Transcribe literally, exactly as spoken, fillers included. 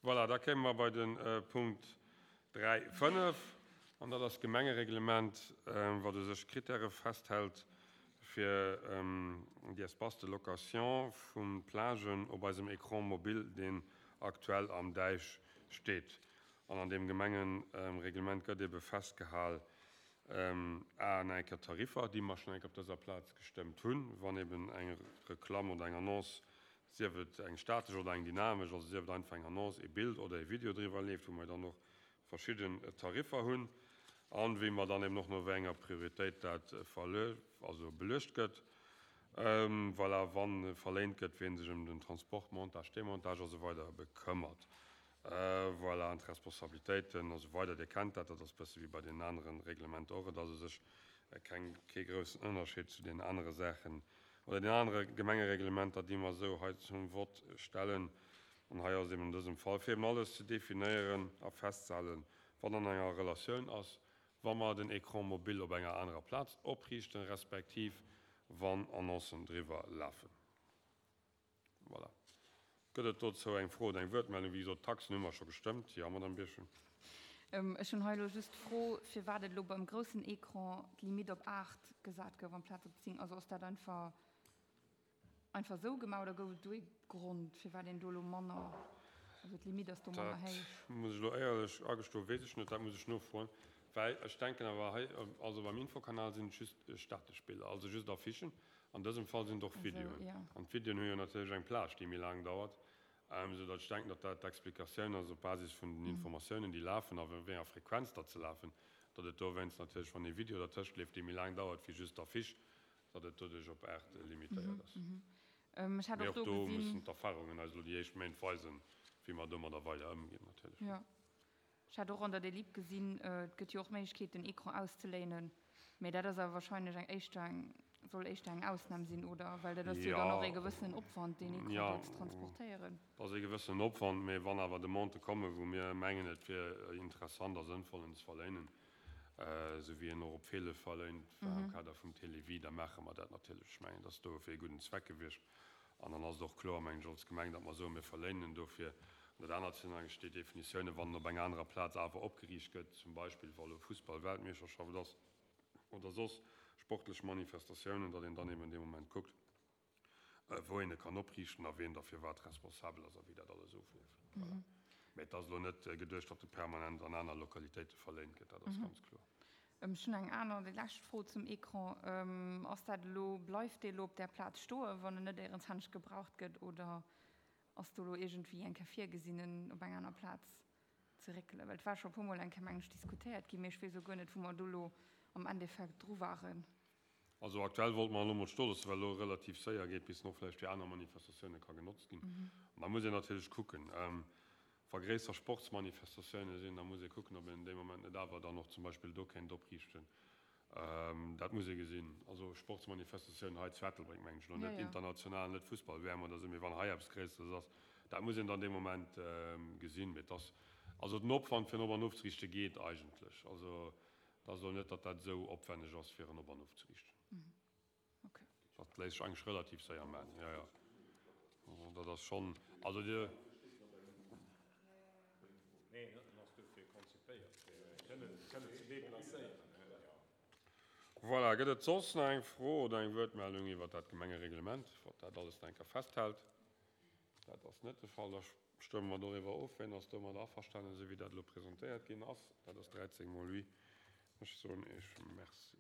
Voilà, da kéime mer bei de Punkt dräi fënnef, an dat ass d'Gemengereglement, wat u sech Kritäre festhält fir déi Espaces de location vu Plagen op eisem Écran mobile, deen aktuell am Däich steet. An an deem Gemengereglement gëtt ebe festgehal, a eng Kéier d'Tariffer, déi mer schonn eng Kéier op dëser Plaz gestëmmt hunn, wann eben eng Reklamm oder eng Annonce, sief et eng statesch oder eng dynamesch, also sief et einfach eng Annonce, e Bild oder e Video driwwer leeft, wou mer dann och verschidden Tariffer hunn, an wéi mer dann eben och no wéi enger Prioritéit dat verlue also beluecht gëtt. Voilà, wa verléint gëtt, wien sech ëm den Transport, Montage, Demontage a sou weider bekëmmert. Voilà, an d'Responsabilitéiten a sou weider, Dir kennt dat, dat ass e bësse wéi bei deenen anere Reglementer och. Et ass u sech keng, kee groussen Ënnerscheed zu deenen anere Saachen oder deenen anere Gemengereglementer, déi mer esou hei zum Vott stellen. An hei ass et eben an dësem Fall, fir eben alles ze definéieren a festzehalen, wat an enger Relatioun ass, wa mer den Écran mobile op enger anerer Plaz opriichten, respektiv wann Annoncen driwwer lafen. Voilà. Gëtt et dozou eng Fro oder eng Wuertmeldung? Wéi gesot, d'Taxen hu mer scho gestëmmt. Jo, Madamm Birchen. Ech hunn hei elo just d'Fro, firwat et elo beim groussen Ecran d'Limite op aacht gesat gouf amplaz op zéng. Also ass dat einfach einfach esou gemaach oder gouf et do ee Grond, firwat een do elo manner, also d'Limite ass do manner Dat héich? muss ech elo éierlech agestoen, weess ech net. Dat muss ech nofroen. Well ech denken awer hei, also beim Infokanal sinn et just statesch Biller, also just Affichen. An dësem Fall sinn et och Videoen. An d'Videoen hu jo natierlech eng Plage, déi méi laang dauert, soudatt ech denken, datt dat d'Explikatioun ass op Basis vun den Informatiounen, déi lafen a wéi enger Frequenz datt se lafen, datt et dowéinst natierlech, wann ee Video dertëscht leeft, dee méi laang dauert wéi just d'Affiche, datt et doduerch op aacht limitéiert ass. Mee och do mussen d'Erfahrungen eis elo déi éischt Méint weisen, wéi mer domadder weider ëmginn natierlech. Ech hat och an der Delib gesinn, et gëtt jo och d'Méiglechkeet den Ecran auszeléinen, mee dat ass awer wahrscheinlech eng éischter eng, soll éischter eng Ausnam sinn, oder? Well dat ass jo dann och ee gewëssenen Opwand, deen Ecran do ze transportéieren. Jo, dat ass ee gewëssenen Opwand, mee wann awer Demandë kommen, wou mir mengen, et wier interessant a sënnvoll en ze verléinen, esou wéi en och op Feele verléint war am Kader vum Télévie, da maache mer dat natierlech. Ech mengen, dat ass do fir ee gudden Zweck gewiescht. An dann ass et och kloer, mengen ech, als Gemeng, datt mer soen, mir verléinen en dofir. An dat anert sinn eigentlech déi Definitiounen, wann en op enger anerer Plaz awer opgeriicht gëtt, zum Beispill wa lo Fussball-Weltmeeschterschaft ass oder soss sportlech Manifestatiounen, datt een dann eben dee Moment kuckt, wou een e kann opriichten a wien da firwat responsabel ass a wéi dat alles ofleeft. Voilà. Mä et ass elo net geduecht, datt e permanent an aner Lokalitéite verléint gëtt, dat ass ganz kloer. Ech hunn eng aner, déi lescht Fro zum Ecran. Ass dat elo, bleift dee elo op där Plaz stoen, wann en net éierens anescht gebraucht gëtt, oder ass do elo iergendwéi eng Kéier virgesinn, en op eng aner Plaz ze réckelen? Well et war scho e puermol eng Kéier, mengen ech, diskutéiert ginn, mee ech weess elo guer net, wou mer do elo am Endeffekt dru waren. Also aktuell wollte mer en elo mol stoe loossen, well elo relativ séier geet, bis en och vläicht fir aner Manifestatioune ka genotzt ginn. An da muss een natierlech kucken, Wa gréisser Sportsmanifestatioune sinn, da muss ee kucken, ob een dee Moment net awer dann och zum Beispill do kéint opriichten. Dat muss ee gesinn. Also Sportsmanifestatiounen hei zu Ettelbréck, mengen ech elo net international, net Fussball-W M oder esou, mee wann hei eppes Gréisseres ass, dat muss een dann dee Moment gesinn. Mee et ass, also den Opwand fir en op an ofzeriichte geet eigentlech. Also et ass elo net, datt dat esou opwänneg ass fir en op an ofzeriichten. Dat léisst sech eigentlech relativ séier maachen, jo, jo. Also dat ass schonn, also Dir. Voilà, gëtt et soss nach eng Fro oder eng Wuertmeldung iwwert dat Gemengereglement, wat dat alles nach eng Kéier festhält? Dat ass net de Fall. Da stëmme mer doriwwer of. Wien ass domadder averstanen, esou wéi dat elo presentéiert ginn ass? Dat ass dräizéng mol oui. Ech soen Iech Merci.